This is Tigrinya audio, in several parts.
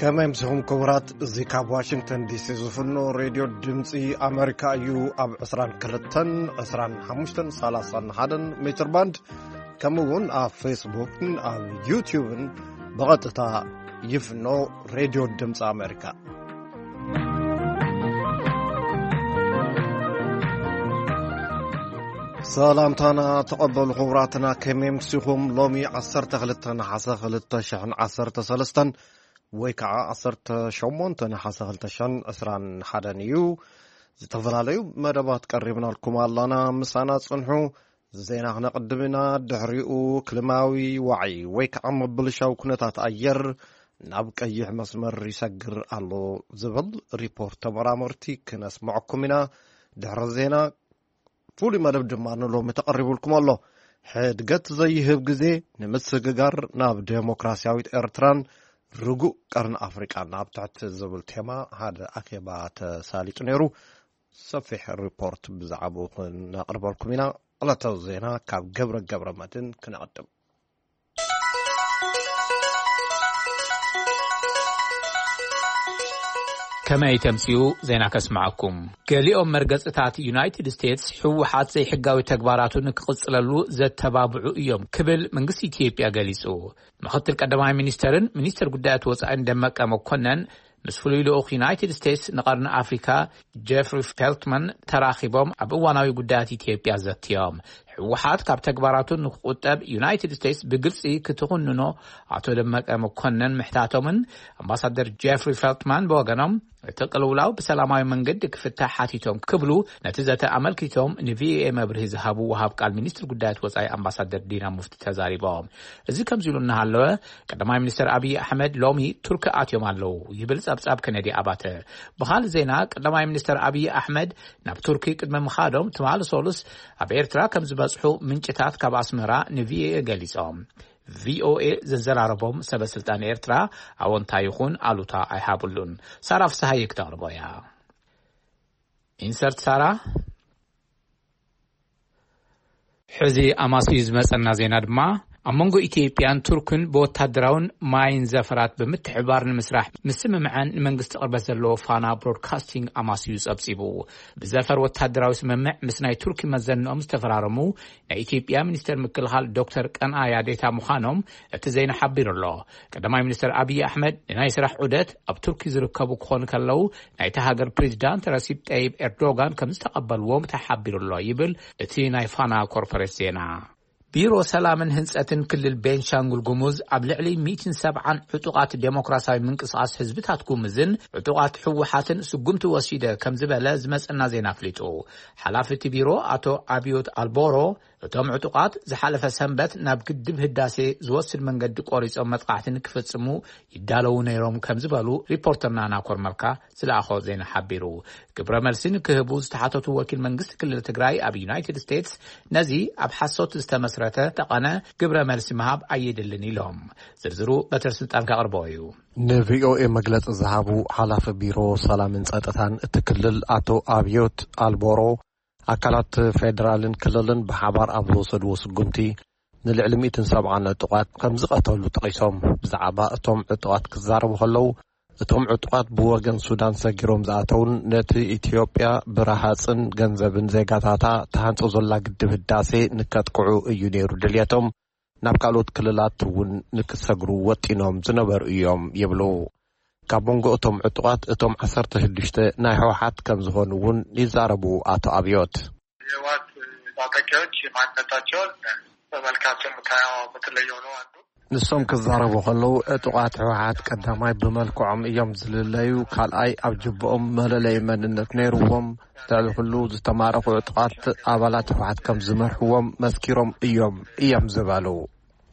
ከመይ ምስኹም ክቡራት? እዚ ካብ ዋሽንግተን ዲሲ ዝፍኖ ሬድዮ ድምፂ ኣሜሪካ እዩ። ኣብ ዕስራን ክልተን፣ ዕስራን ሓሙሽተን፣ ሰላሳን ሓደን ሜትር ባንድ፣ ከምኡ እውን ኣብ ፌስቡክን ኣብ ዩትዩብን ብቐጥታ ይፍኖ። ሬድዮ ድምፂ ኣሜሪካ። ሰላምታና ተቐበሉ ክቡራትና፣ ከመይ ምስኹም? ሎሚ ዓሰርተ ክልተ ነሓሰ ክልተ ሽሕን ዓሰርተ ሰለስተን፣ ወይ ከዓ ዓሰርተ ሸሞንተ ነሓሰ ክልተ ሽሕን ዕስራን ሓደን እዩ። ዝተፈላለዩ መደባት ቀሪብናልኩም ኣላና፣ ምሳና ጽንሑ። ዜና ክነቕድም ኢና፣ ድሕሪኡ ክልማዊ ዋዒ ወይ ከዓ ምብልሻው ኩነታት ኣየር ናብ ቀይሕ መስመር ይሰግር ኣሎ ዝብል ሪፖርት ተመራመርቲ ክነስምዐኩም ኢና። ድሕሪ ዜና ፍሉይ መደብ ድማ ንሎሚ ተቐሪቡልኩም ኣሎ። ሕድገት ዘይህብ ግዜ ንምስግጋር ናብ ዴሞክራሲያዊት ኤርትራን ርጉእ ቀርኒ ኣፍሪቃን ናብ ትሕቲ ዝብል ቴማ ሓደ ኣኼባ ተሳሊጡ ነይሩ። ሰፊሕ ሪፖርት ብዛዕባኡ ክነቕርበልኩም ኢና። ዕለታዊ ዜና ካብ ገብረ ገብረ መድህን ክነቕድም። ከመይ ተምጽኡ ዜና ከስምዓኩም። ገሊኦም መርገጽታት ዩናይትድ ስቴትስ ህወሓት ዘይሕጋዊ ተግባራቱ ንክቕጽለሉ ዘተባብዑ እዮም ክብል መንግስቲ ኢትዮጵያ ገሊጹ። ምኽትል ቀዳማይ ሚኒስተርን ሚኒስተር ጉዳያት ወጻኢን ደመቀ መኮነን ምስ ፍሉይ ልኡኽ ዩናይትድ ስቴትስ ንቐርኒ ኣፍሪካ ጀፍሪ ፌልትማን ተራኺቦም ኣብ እዋናዊ ጉዳያት ኢትዮጵያ ዘትዮም። ህወሓት ካብ ተግባራቱ ንክቁጠብ ዩናይትድ ስቴትስ ብግልጺ ክትኹንኖ ኣቶ ደመቀ መኮነን ምሕታቶምን ኣምባሳደር ጀፍሪ ፌልትማን ብወገኖም እቲ ቅልውላው ብሰላማዊ መንገዲ ክፍታሕ ሓቲቶም ክብሉ ነቲ ዘተ ኣመልኪቶም ንቪኦኤ መብርሂ ዝሃቡ ወሃብ ቃል ሚኒስትር ጉዳያት ወጻኢ ኣምባሳደር ዲና ሙፍቲ ተዛሪቦም። እዚ ከምዚ ኢሉ እናሃለወ ቀዳማይ ሚኒስትር ኣብይ ኣሕመድ ሎሚ ቱርኪ ኣትዮም ኣለዉ ይብል ጸብጻብ ከነዲ ኣባተ። ብኻልእ ዜና ቀዳማይ ሚኒስትር ኣብይ ኣሕመድ ናብ ቱርኪ ቅድሚ ምኻዶም ትማሊ ሰሉስ ኣብ ኤርትራ ከም ዝበጽሑ ምንጭታት ካብ ኣስመራ ንቪኦኤ ገሊጾም። ቪኦኤ ዘዘራረቦም ሰበ ስልጣን ኤርትራ ኣወንታ ይኹን ኣሉታ ኣይሃብሉን። ሳራ ፍስሃየ ክተቕርቦ እያ። ኢንሰርት ሳራ። ሕዚ ኣማስዩ ዝመጸና ዜና ድማ ኣብ መንጎ ኢትዮጵያን ቱርክን ብወታደራውን ማይን ዘፈራት ብምትሕባር ንምስራሕ ምስምምዐን ንመንግስቲ ቅርበት ዘለዎ ፋና ብሮድካስቲንግ ኣማስዩ ጸብጺቡ። ብዘፈር ወታደራዊ ስምምዕ ምስ ናይ ቱርኪ መዘንኦም ዝተፈራረሙ ናይ ኢትዮጵያ ሚኒስተር ምክልኻል ዶክተር ቀንኣያ ዴታ ምዃኖም እቲ ዜና ሓቢሩ ኣሎ። ቀዳማይ ሚኒስተር ኣብይ ኣሕመድ ንናይ ስራሕ ዑደት ኣብ ቱርኪ ዝርከቡ ክኾኑ ከለዉ ናይቲ ሃገር ፕሬዚዳንት ረሲብ ጠይብ ኤርዶጋን ከም ዝተቐበልዎም ተሓቢሩ ኣሎ ይብል እቲ ናይ ፋና ኮርፖሬት ዜና። ቢሮ ሰላምን ህንጸትን ክልል ቤንሻንጉል ጉሙዝ ኣብ ልዕሊ ሚእትን ሰብዓን ዕጡቓት ዴሞክራሲያዊ ምንቅስቓስ ህዝብታት ጉሙዝን ዕጡቓት ህወሓትን ስጉምቲ ወሲደ ከም ዝበለ ዝመጸና ዜና ኣፍሊጡ። ሓላፊ እቲ ቢሮ ኣቶ ኣብዮት ኣልቦሮ እቶም ዕጡቓት ዝሓለፈ ሰንበት ናብ ግድብ ህዳሴ ዝወስድ መንገዲ ቆሪጾም መጥቃዕቲ ንክፍጽሙ ይዳለዉ ነይሮም ከም ዝበሉ ሪፖርተርና ናኮር መልካ ዝለኣኾ ዜና ሓቢሩ። ግብረ መልሲ ንክህቡ ዝተሓተቱ ወኪል መንግስቲ ክልል ትግራይ ኣብ ዩናይትድ ስቴትስ ነዚ ኣብ ሓሶት ዝተመስረተ ጠቐነ ግብረ መልሲ ምሃብ ኣየድልን ኢሎም። ዝርዝሩ በትረ ስልጣን ከቕርቦ እዩ። ንቪኦኤ መግለጺ ዝሃቡ ሓላፊ ቢሮ ሰላምን ጸጥታን እቲ ክልል ኣቶ ኣብዮት ኣልቦሮ ኣካላት ፌደራልን ክልልን ብሓባር ኣብ ዝወሰድዎ ስጉምቲ ንልዕሊ ሚእትን ሰብዓን ዕጡቓት ከም ዝቐተሉ ጠቒሶም። ብዛዕባ እቶም ዕጡቓት ክዛረቡ ከለዉ እቶም ዕጡቓት ብወገን ሱዳን ሰጊሮም ዝኣተውን ነቲ ኢትዮጵያ ብረሃፅን ገንዘብን ዜጋታታ ትሃንጾ ዘላ ግድብ ህዳሴ ንከጥቅዑ እዩ ነይሩ ድልየቶም። ናብ ካልኦት ክልላት እውን ንክሰግሩ ወጢኖም ዝነበሩ እዮም ይብሉ። ካብ መንጎ እቶም ዕጡቓት እቶም ዓሰርተ ሽዱሽተ ናይ ህወሓት ከም ዝኾኑ እውን ይዛረቡ ኣቶ ኣብዮት። የህወሓት ታጣቂዎች ማንነታቸውን በመልካቸው የምታየው በተለየ ሆነው አንዱ ንሶም ክዛረቡ ከለዉ ዕጡቓት ህወሓት ቀዳማይ ብመልክዖም እዮም ዝልለዩ፣ ካልኣይ ኣብ ጅብኦም መለለይ መንነት ነይርዎም፣ ልዕሊ ኩሉ ዝተማረኹ ዕጡቓት ኣባላት ህወሓት ከም ዝመርሕዎም መስኪሮም እዮም እዮም ዝበሉ።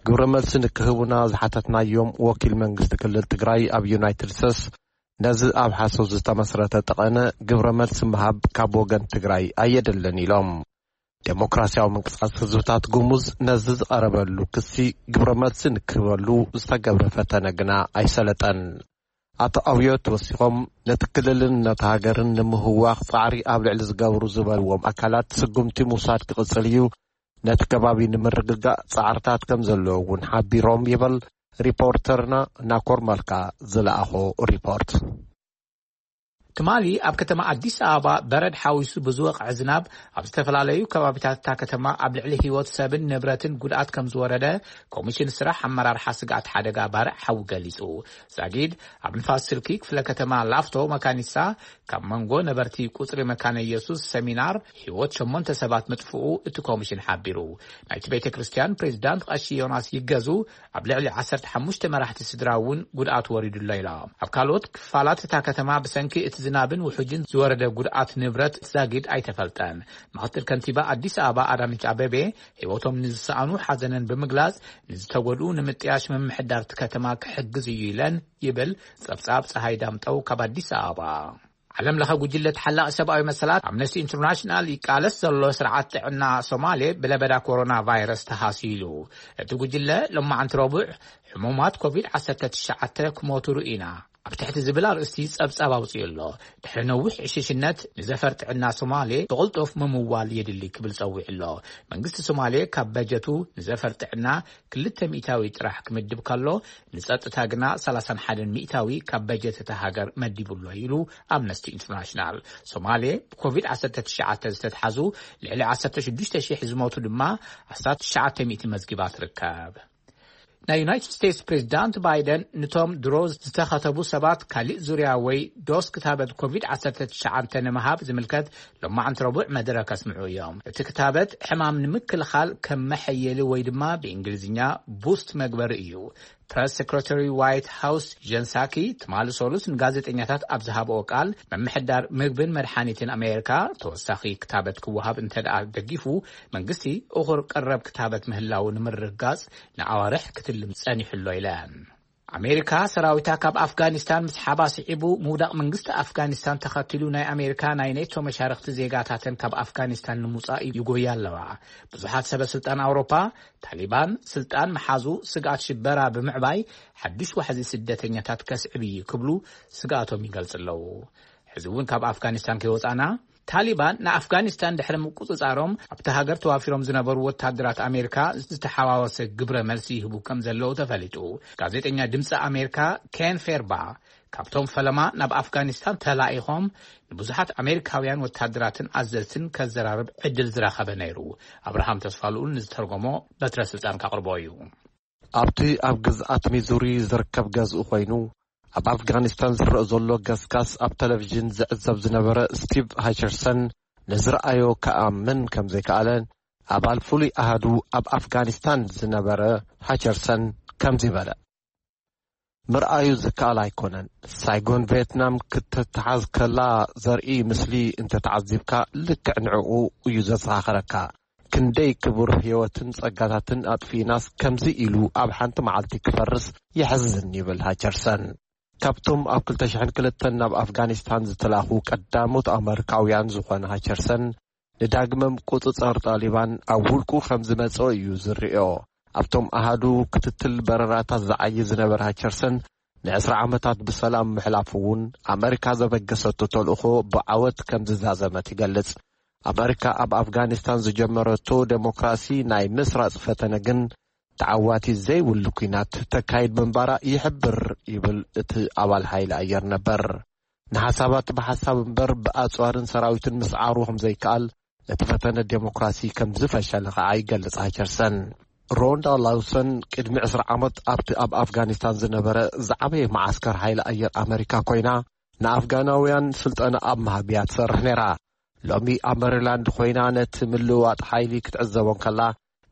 ግብረ መልሲ ንክህቡና ዝሓተትናዮም ወኪል መንግስቲ ክልል ትግራይ ኣብ ዩናይትድ ስቴትስ ነዚ ኣብ ሓሶት ዝተመስረተ ጠቐነ ግብረ መልሲ ምሃብ ካብ ወገን ትግራይ ኣየድልን ኢሎም። ዴሞክራሲያዊ ምንቅስቃስ ህዝብታት ጉሙዝ ነዚ ዝቐረበሉ ክሲ ግብረ መልሲ ንክህበሉ ዝተገብረ ፈተነ ግና ኣይሰለጠን። ኣቶ ኣብዮት ወሲኾም ነቲ ክልልን ነቲ ሃገርን ንምህዋኽ ጻዕሪ ኣብ ልዕሊ ዝገብሩ ዝበልዎም ኣካላት ስጉምቲ ምውሳድ ክቕጽል እዩ፣ ነቲ ከባቢ ንምርግጋእ ጻዕርታት ከም ዘለዎ እውን ሓቢሮም ይበል ሪፖርተርና ናኮር መልካ ዝለኣኾ ሪፖርት። ትማሊ ኣብ ከተማ ኣዲስ ኣበባ በረድ ሓዊሱ ብዝወቕዐ ዝናብ ኣብ ዝተፈላለዩ ከባቢታት እታ ከተማ ኣብ ልዕሊ ህይወት ሰብን ንብረትን ጉድኣት ከም ዝወረደ ኮሚሽን ስራሕ ኣመራርሓ ስግኣት ሓደጋ ባርዕ ሓዊ ገሊጹ። ዛጊድ ኣብ ንፋስ ስልኪ ክፍለ ከተማ ላፍቶ መካኒሳ ካብ መንጎ ነበርቲ ቁጽሪ መካነ ኢየሱስ ሰሚናር ህይወት ሸሞንተ ሰባት ምጥፍኡ እቲ ኮሚሽን ሓቢሩ። ናይቲ ቤተ ክርስቲያን ፕሬዚዳንት ቀሺ ዮናስ ይገዙ ኣብ ልዕሊ ዓሰርተ ሓሙሽተ መራሕቲ ስድራ እውን ጉድኣት ወሪዱሎ ኢሎም። ኣብ ካልኦት ክፋላት እታ ከተማ ብሰንኪ እቲ ዝናብን ውሑጅን ዝወረደ ጉድኣት ንብረት ዛጊድ ኣይተፈልጠን። ምክትል ከንቲባ ኣዲስ ኣበባ ኣዳነች ኣቤቤ ህይወቶም ንዝሰኣኑ ሓዘነን ብምግላጽ፣ ንዝተጎድኡ ንምጥያሽ ምምሕዳር እቲ ከተማ ክሕግዝ እዩ ኢለን ይብል ጸብጻብ ጸሃይ ዳምጠው ካብ ኣዲስ ኣበባ። ዓለም ለኸ ጉጅለ ተሓላቒ ሰብኣዊ መሰላት ኣምነስቲ ኢንተርናሽናል ይቃለስ ዘሎ ስርዓት ጥዕና ሶማሌ ብለበዳ ኮሮና ቫይረስ ተሃስዩ ኢሉ። እቲ ጉጅለ ሎማዓንቲ ረቡዕ ሕሙማት ኮቪድ ዓሰርተ ትሽዓተ ክሞቱ ርኢና ኣብ ትሕቲ ዝብል ኣርእስቲ ጸብጻብ ኣውጺኡ ኣሎ። ድሕሪ ነዊሕ ዕሽሽነት ንዘፈር ጥዕና ሶማሌ ብቕልጡፍ ምምዋል የድሊ ክብል ጸዊዑ ኣሎ። መንግስቲ ሶማሌ ካብ በጀቱ ንዘፈር ጥዕና ክልተ ሚእታዊ ጥራሕ ክምድብ ከሎ፣ ንጸጥታ ግና ሰላሳን ሓደን ሚእታዊ ካብ በጀት እታ ሃገር መዲቡ ኣሎ ኢሉ ኣምነስቲ ኢንተርናሽናል። ሶማሌ ብኮቪድ ዓሰርተ ትሽዓተ ዝተትሓዙ ልዕሊ ዓሰርተ ሽዱሽተ ሺሕ ዝሞቱ ድማ ኣስታት ትሽዓተ ሚእቲ መዝጊባ ትርከብ። ናይ ዩናይትድ ስቴትስ ፕሬዚዳንት ባይደን ንቶም ድሮ ዝተኸተቡ ሰባት ካሊእ ዙርያ ወይ ዶስ ክታበት ኮቪድ ዓሰርተ ትሽዓተ ንምሃብ ዝምልከት ሎማዓንቲ ረቡዕ መደረ ከስምዑ እዮም። እቲ ክታበት ሕማም ንምክልኻል ከም መሐየሊ ወይ ድማ ብእንግሊዝኛ ቡስት መግበሪ እዩ። ፕረስ ሴክሬታሪ ዋይት ሃውስ ጀን ሳኪ ትማሊ ሰሉስ ንጋዜጠኛታት ኣብ ዝሃብኦ ቃል፣ ምምሕዳር ምግብን መድሓኒትን ኣሜሪካ ተወሳኺ ክታበት ክወሃብ እንተ ደኣ ደጊፉ፣ መንግስቲ እኹር ቀረብ ክታበት ምህላው ንምርግጋጽ ንኣዋርሕ ክትልም ጸኒሑ ኣሎ ኢለን። ኣሜሪካ ሰራዊታ ካብ ኣፍጋኒስታን ምስሓባ ስዒቡ፣ ምውዳቕ መንግስቲ ኣፍጋኒስታን ተኸቲሉ ናይ ኣሜሪካ ናይ ኔቶ መሻርኽቲ ዜጋታተን ካብ ኣፍጋኒስታን ንምውጻእ ይጎያ ኣለዋ። ብዙሓት ሰበ ስልጣን ኣውሮፓ፣ ታሊባን ስልጣን ምሓዙ ስግኣት ሽበራ ብምዕባይ ሓድሽ ዋሕዚ ስደተኛታት ከስዕብ እዩ ክብሉ ስግኣቶም ይገልጹ ኣለዉ። ሕዚ እውን ካብ ኣፍጋኒስታን ከይወጻና፣ ታሊባን ንኣፍጋኒስታን ድሕሪ ምቁጽጻሮም ኣብቲ ሃገር ተዋፊሮም ዝነበሩ ወታደራት ኣሜሪካ ዝተሓዋወሰ ግብረ መልሲ ይህቡ ከም ዘለዉ ተፈሊጡ። ጋዜጠኛ ድምፂ ኣሜሪካ ኬን ፌርባ ካብቶም ፈለማ ናብ ኣፍጋኒስታን ተላኢኾም ንብዙሓት ኣሜሪካውያን ወታደራትን ኣዘዝትን ከዘራርብ ዕድል ዝረኸበ ነይሩ። ኣብርሃም ተስፋልኡል ንዝተርጎሞ በትረ ስልጣን ካቕርቦ እዩ። ኣብቲ ኣብ ግዝኣት ሚዙሪ ዝርከብ ገዝኡ ኮይኑ ኣብ ኣፍጋኒስታን ዝረአ ዘሎ ገስጋስ ኣብ ቴሌቪዥን ዝዕዘብ ዝነበረ ስቲቭ ሃቸርሰን ንዝረኣዮ ክኣምን ከም ዘይከኣለ ኣባል ፍሉይ ኣሃዱ ኣብ ኣፍጋኒስታን ዝነበረ ሃቸርሰን ከምዚ በለ። ምርኣዩ ዝከኣል ኣይኮነን። ሳይጎን ቪየትናም ክትተሓዝ ከላ ዘርኢ ምስሊ እንተተዓዚብካ ልክዕ ንዕኡ እዩ ዘዘኻኽረካ። ክንደይ ክቡር ህይወትን ጸጋታትን ኣጥፊእናስ ከምዚ ኢሉ ኣብ ሓንቲ መዓልቲ ክፈርስ የሕዝን ይብል ሃቸርሰን። ካብቶም ኣብ ክልተ ሽሕን ክልተን ናብ ኣፍጋኒስታን ዝተላኹ ቀዳሞት ኣመሪካውያን ዝኾነ ሃቸርሰን ንዳግመ ምቁጽጻር ጣሊባን ኣብ ውልቁ ከም ዝመጽኦ እዩ ዝርእዮ። ኣብቶም ኣሃዱ ክትትል በረራታት ዝዓዪ ዝነበረ ሃቸርሰን ንዕስራ ዓመታት ብሰላም ምሕላፉ እውን ኣመሪካ ዘበገሰቶ ተልእኾ ብዓወት ከም ዝዛዘመት ይገልጽ። ኣመሪካ ኣብ ኣፍጋኒስታን ዝጀመረቶ ዴሞክራሲ ናይ ምስራጽ ፈተነ ግን ተዓዋቲ ዘይብሉ ኲናት ተካይድ ምንባራ ይሕብር ይብል እቲ ኣባል ሓይሊ ኣየር ነበር። ንሓሳባት ብሓሳብ እምበር ብኣጽዋርን ሰራዊትን ምስዓሩ ከም ዘይከኣል፣ እቲ ፈተነ ዴሞክራሲ ከም ዝፈሸለ ከኣ ይገልጽ ሃቸርሰን። ሮንዳ ላውሰን ቅድሚ ዕስራ ዓመት ኣብቲ ኣብ ኣፍጋኒስታን ዝነበረ ዝዓበየ መዓስከር ሓይሊ ኣየር ኣመሪካ ኮይና ንኣፍጋናውያን ስልጠና ኣብ ምሃብ እያ ትሰርሕ ነይራ። ሎሚ ኣብ መሪላንድ ኮይና ነቲ ምልውዋጥ ሓይሊ ክትዕዘቦ እንከላ፣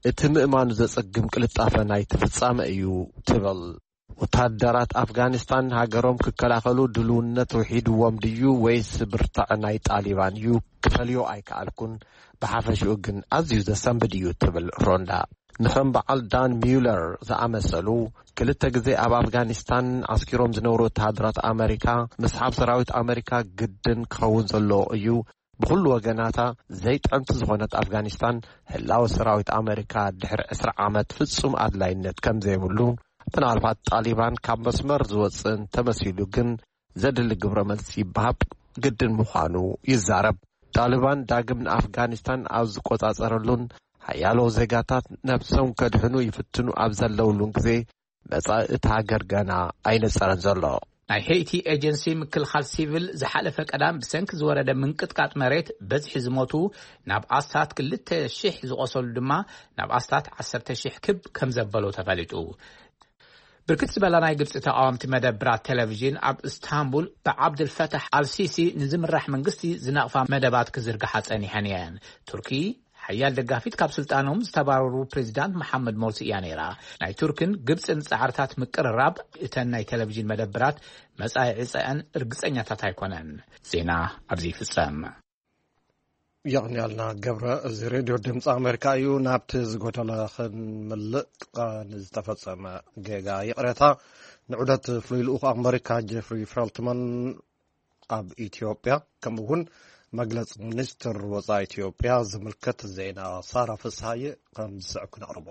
እቲ ምእማኑ ዘጸግም ቅልጣፈ ናይቲ ፍጻመ እዩ ትብል። ወታደራት ኣፍጋኒስታን ሃገሮም ክከላኸሉ ድልውነት ውሒድዎም ድዩ ወይስ ብርታዐ ናይ ጣሊባን እዩ ክፈልዮ ኣይከኣልኩን፣ ብሓፈሽኡ ግን ኣዝዩ ዘሰንብድ እዩ ትብል ሮንዳ። ንኸም በዓል ዳን ሚውለር ዝኣመሰሉ ክልተ ግዜ ኣብ ኣፍጋኒስታን ዓስኪሮም ዝነበሩ ወተሃደራት ኣመሪካ፣ ምስሓብ ሰራዊት ኣመሪካ ግድን ክኸውን ዘለዎ እዩ። ብኹሉ ወገናታ ዘይጥዕምቲ ዝኾነት ኣፍጋኒስታን፣ ህላወ ሰራዊት ኣመሪካ ድሕሪ ዕስራ ዓመት ፍጹም ኣድላይነት ከም ዘይብሉ፣ ምናልባት ጣሊባን ካብ መስመር ዝወጽእ እንተመሲሉ ግን ዘድሊ ግብረ መልሲ ይበሃብ ግድን ምዃኑ ይዛረብ። ጣሊባን ዳግም ንኣፍጋኒስታን ኣብ ዝቆጻጸረሉን ሓያሎ ዜጋታት ነብሶም ከድሕኑ ይፍትኑ ኣብ ዘለውሉን ግዜ፣ መጻኢ እቲ ሃገር ገና ኣይነጸረን ዘሎ። ናይ ሄይቲ ኤጀንሲ ምክልኻል ሲቪል ዝሓለፈ ቀዳም ብሰንኪ ዝወረደ ምንቅጥቃጥ መሬት በዝሒ ዝሞቱ ናብ ኣስታት ክልተ ሽሕ ዝቖሰሉ ድማ ናብ ኣስታት ዓሰርተ ሽሕ ክብ ከም ዘበሎ ተፈሊጡ። ብርክት ዝበላ ናይ ግብፂ ተቃወምቲ መደብራት ቴሌቪዥን ኣብ እስታንቡል ብዓብድልፈታሕ ኣልሲሲ ንዝምራሕ መንግስቲ ዝነቕፋ መደባት ክዝርግሓ ጸኒሐን እየን። ቱርኪ ሓያል ደጋፊት ካብ ስልጣኖም ዝተባረሩ ፕሬዚዳንት መሓመድ ሞርሲ እያ ነይራ። ናይ ቱርክን ግብፅን ፃዕርታት ምቅርራብ እተን ናይ ቴሌቪዥን መደብራት መፃኢ ዕፀአን እርግፀኛታት ኣይኮነን። ዜና ኣብዚ ይፍፀም። የቕንያልና ገብረ። እዚ ሬድዮ ድምፂ ኣሜሪካ እዩ። ናብቲ ዝጎደለ ክንምልእ፣ ንዝተፈፀመ ጌጋ ይቕሬታ። ንዑደት ፍሉይ ልኡኽ ኣሜሪካ ጀፍሪ ፌልትማን ኣብ ኢትዮጵያ፣ ከምኡ እውን መግለፂ ሚኒስትር ወፃኢ ኢትዮጵያ ዝምልከት ዜና ሳራ ፍስሃየ ከም ዝስዕብ ክነቕርቦ።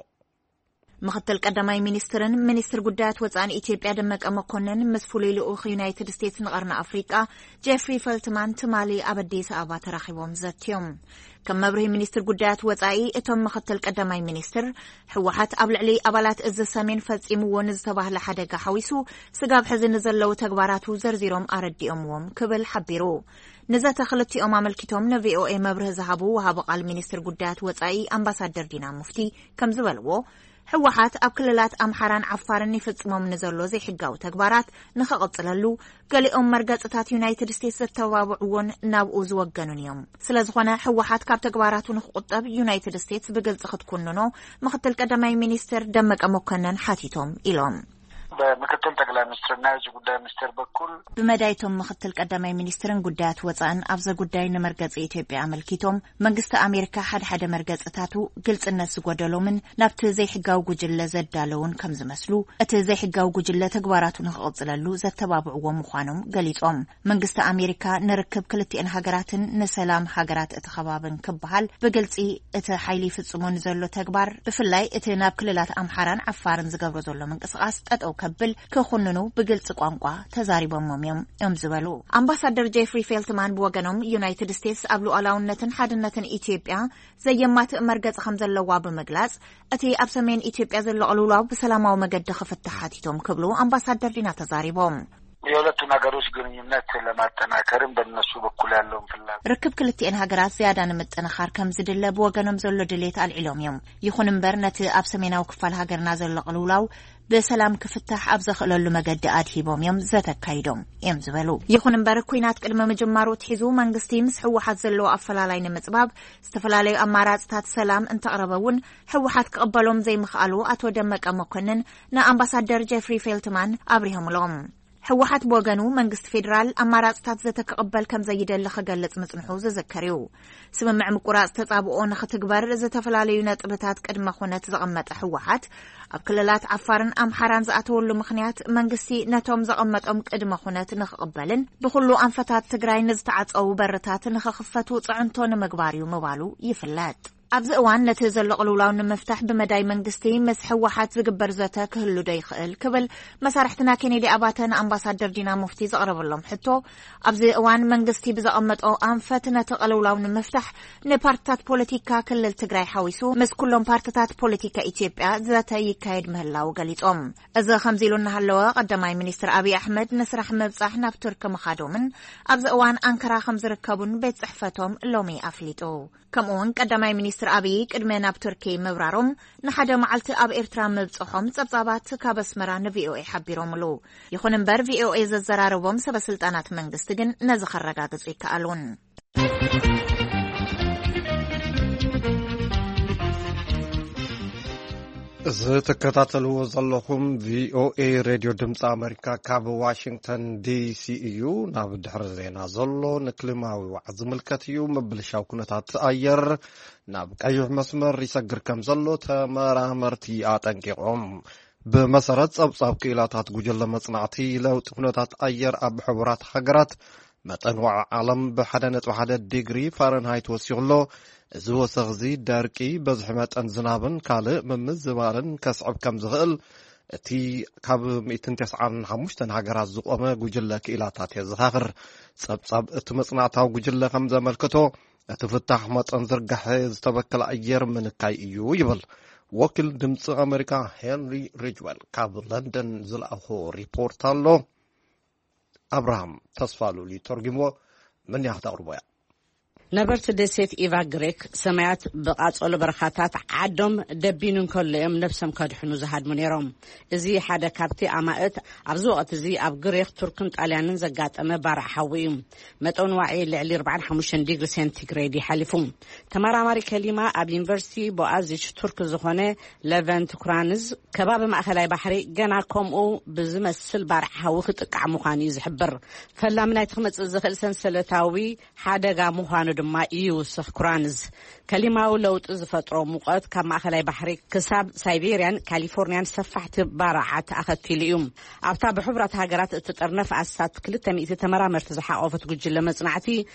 ምኽትል ቀዳማይ ሚኒስትርን ሚኒስትር ጉዳያት ወፃእን ኢትዮጵያ ደመቀ መኮንን ምስ ፍሉይ ልኡኽ ዩናይትድ ስቴትስ ንቐርኒ ኣፍሪቃ ጄፍሪ ፈልትማን ትማሊ ኣብ ኣዲስ ኣበባ ተራኺቦም ዘትዮም። ከም መብርሂ ሚኒስትር ጉዳያት ወፃኢ፣ እቶም ምኽትል ቀዳማይ ሚኒስትር፣ ህወሓት ኣብ ልዕሊ ኣባላት እዚ ሰሜን ፈፂምዎ ንዝተባህለ ሓደጋ ሓዊሱ ስጋብ ሕዚ ንዘለዉ ተግባራቱ ዘርዚሮም ኣረዲኦምዎም ክብል ሓቢሩ። ንዘተ ክልቲኦም ኣመልኪቶም ንቪኦኤ መብርሂ ዝሃቡ ወሃቢ ቃል ሚኒስትር ጉዳያት ወፃኢ ኣምባሳደር ዲና ሙፍቲ ከም ዝበልዎ፣ ህወሓት ኣብ ክልላት ኣምሓራን ዓፋርን ይፍጽሞም ንዘሎ ዘይሕጋዊ ተግባራት ንኽቕጽለሉ፣ ገሊኦም መርገጽታት ዩናይትድ ስቴትስ ዘተባብዕዎን ናብኡ ዝወገኑን እዮም። ስለ ዝኾነ፣ ህወሓት ካብ ተግባራቱ ንኽቑጠብ ዩናይትድ ስቴትስ ብግልጺ ክትኩንኖ ምኽትል ቀዳማይ ሚኒስትር ደመቀ መኮነን ሓቲቶም ኢሎም። በምክትል ጠቅላይ ሚኒስትርና የውጭ ጉዳይ ሚኒስቴር በኩል ብመዳይቶም ምኽትል ቀዳማይ ሚኒስትርን ጉዳያት ወፃእን ኣብዚ ጉዳይ ንመርገጺ ኢትዮጵያ ኣመልኪቶም፣ መንግስቲ ኣሜሪካ ሓደ ሓደ መርገጽታቱ ግልጽነት ዝጎደሎምን ናብቲ ዘይሕጋዊ ጉጅለ ዘዳለውን ከም ዝመስሉ፣ እቲ ዘይሕጋዊ ጉጅለ ተግባራቱ ንኽቕጽለሉ ዘተባብዕዎ ምዃኖም ገሊጾም። መንግስቲ ኣሜሪካ ንርክብ ክልቲኤን ሃገራትን ንሰላም ሃገራት እቲ ከባብን ክበሃል ብግልጺ እቲ ሓይሊ ይፍጽሞ ንዘሎ ተግባር፣ ብፍላይ እቲ ናብ ክልላት ኣምሓራን ዓፋርን ዝገብሮ ዘሎ ምንቅስቓስ ጠጠው ከብል ክኹንኑ ብግልጺ ቋንቋ ተዛሪቦሞም እዮም እዮም ዝበሉ። ኣምባሳደር ጄፍሪ ፌልትማን ብወገኖም፣ ዩናይትድ ስቴትስ ኣብ ሉዓላውነትን ሓድነትን ኢትዮጵያ ዘየማትእ መርገጺ ከም ዘለዋ ብምግላጽ፣ እቲ ኣብ ሰሜን ኢትዮጵያ ዘሎ ቅልውላው ብሰላማዊ መገዲ ክፍታሕ ሓቲቶም ክብሉ ኣምባሳደር ዲና ተዛሪቦም። የሁለቱን ሀገሮች ግንኙነት ለማጠናከርም በእነሱ በኩል ያለውን ፍላጎት ርክብ ክልቲኤን ሃገራት ዝያዳ ንምጥንኻር ከም ዝድለ ብወገኖም ዘሎ ድሌት ኣልዒሎም እዮም። ይኹን እምበር፣ ነቲ ኣብ ሰሜናዊ ክፋል ሃገርና ዘሎ ቅልውላው ብሰላም ክፍታሕ ኣብ ዘኽእለሉ መገዲ ኣድሂቦም እዮም ዘተካይዶም እዮም ዝበሉ። ይኹን እምበር፣ ኲናት ቅድሚ ምጅማሩ ኣትሒዙ መንግስቲ ምስ ህወሓት ዘለዎ ኣፈላላይ ንምጽባብ ዝተፈላለዩ ኣማራጽታት ሰላም እንተቕረበ እውን ህወሓት ክቕበሎም ዘይምኽኣሉ ኣቶ ደመቀ መኮንን ንኣምባሳደር ጄፍሪ ፌልትማን ኣብሪሆምሎም። ህወሓት ብወገኑ፣ መንግስቲ ፌዴራል ኣማራጽታት ዘተ ክቕበል ከም ዘይደሊ ክገልጽ ምጽንሑ ዝዝከር እዩ። ስምምዕ ምቁራጽ ተጻብኦ ንኽትግበር ዝተፈላለዩ ነጥብታት ቅድመ ኩነት ዘቐመጠ ህወሓት፣ ኣብ ክልላት ዓፋርን ኣምሓራን ዝኣተወሉ ምኽንያት፣ መንግስቲ ነቶም ዘቐመጦም ቅድመ ኩነት ንኽቕበልን ብኹሉ ኣንፈታት ትግራይ ንዝተዓጸዉ በርታት ንኽኽፈቱ ጽዕንቶ ንምግባር እዩ ምባሉ ይፍለጥ። ኣብዚ እዋን ነቲ ዘሎ ቅልውላው ንምፍታሕ ብመዳይ መንግስቲ ምስ ህወሓት ዝግበር ዘተ ክህሉ ዶ ይኽእል ክብል መሳርሕትና ኬኔዲ ኣባተ ንኣምባሳደር ዲና ሙፍቲ ዘቕረበሎም ሕቶ፣ ኣብዚ እዋን መንግስቲ ብዘቐመጦ ኣንፈት ነቲ ቅልውላው ንምፍታሕ ንፓርትታት ፖለቲካ ክልል ትግራይ ሓዊሱ ምስ ኩሎም ፓርትታት ፖለቲካ ኢትዮጵያ ዘተ ይካየድ ምህላው ገሊጾም። እዚ ከምዚ ኢሉ እናሃለወ፣ ቀዳማይ ሚኒስትር ኣብይ ኣሕመድ ንስራሕ ምብጻሕ ናብ ቱርኪ ምኻዶምን ኣብዚ እዋን ኣንካራ ከም ዝርከቡን ቤት ጽሕፈቶም ሎሚ ኣፍሊጡ። ከምኡ እውን ቀዳማይ ሚኒስትር ኣብይ ቅድሚ ናብ ቱርኪ ምብራሮም ንሓደ መዓልቲ ኣብ ኤርትራ ምብጽሖም ጸብጻባት ካብ ኣስመራ ንቪኦኤ ሓቢሮምሉ። ይኹን እምበር፣ ቪኦኤ ዘዘራረቦም ሰበ ስልጣናት መንግስቲ ግን ነዚ ከረጋግጹ ይከኣሉን። እዚ ትከታተልዎ ዘለኹም ቪኦኤ ሬድዮ ድምፂ ኣሜሪካ ካብ ዋሽንግተን ዲሲ እዩ። ናብ ድሕሪ ዜና ዘሎ ንክሊማዊ ዋዕ ዝምልከት እዩ። ምብልሻው ኩነታት ኣየር ናብ ቀይሕ መስመር ይሰግር ከም ዘሎ ተመራመርቲ ኣጠንቂቖም። ብመሰረት ጸብጻብ ክኢላታት ጉጅለ መጽናዕቲ ለውጢ ኩነታት ኣየር ኣብ ሕቡራት ሃገራት፣ መጠን ዋዒ ዓለም ብሓደ ነጥቢ ሓደ ዲግሪ ፋረንሃይት ወሲኹ ኣሎ። እዚ ወሰኽ እዚ ደርቂ፣ በዝሒ መጠን ዝናብን ካልእ ምምዝባልን ከስዕብ ከም ዝኽእል እቲ ካብ ሚእትን ተስዓን ሓሙሽተን ሃገራት ዝቖመ ጉጅለ ክኢላታት የዘኻኽር። ጸብጻብ እቲ መጽናዕታዊ ጉጅለ ከም ዘመልክቶ፣ እቲ ፍታሕ መጠን ዝርጋሐ ዝተበከለ ኣየር ምንካይ እዩ ይብል። ወኪል ድምፂ ኣሜሪካ ሄንሪ ሪጅወል ካብ ለንደን ዝለኣኾ ሪፖርት ኣሎ። ኣብርሃም ተስፋ ሉሊ ተርጉምዎ። ምን ያኽት ኣቕርቦ እያ። ነበርቲ ደሴት ኢቫ ግሪክ ሰማያት ብቓጸሎ በረኻታት ዓዶም ደቢኑ እንከሎ እዮም ነብሶም ከድሕኑ ዝሃድሙ ነይሮም። እዚ ሓደ ካብቲ ኣማእት ኣብዚ ወቕቲ እዚ ኣብ ግሪክ፣ ቱርክን ጣልያንን ዘጋጠመ ባርዕ ሓዊ እዩ። መጠን ዋዒ ልዕሊ ኣርባዓን ሓሙሽተን ዲግሪ ሴንቲግሬድ ይሓሊፉ። ተመራማሪ ከሊማ ኣብ ዩኒቨርሲቲ ቦኣዚች ቱርክ ዝኾነ ለቨንት ኩራንዝ፣ ከባቢ ማእከላይ ባሕሪ ገና ከምኡ ብዝመስል ባርዕ ሓዊ ክጥቃዕ ምዃኑ እዩ ዝሕብር። ፈላሚ ናይቲ ክመጽእ ዝኽእል ሰንሰለታዊ ሓደጋ ምዃኑ ድማ ይውስኽ ኩራንዝ። ከሊማዊ ለውጢ ዝፈጥሮ ሙቐት ካብ ማእከላይ ባሕሪ ክሳብ ሳይቤርያን ካሊፎርኒያን ሰፋሕቲ ባርዓት ኣኸቲሉ እዩ። ኣብታ ብሕቡራት ሃገራት እትጥርነፍ ኣስታት ክልተ ሚእቲ ተመራመርቲ ዝሓቖፈት ጉጅለ መጽናዕቲ፣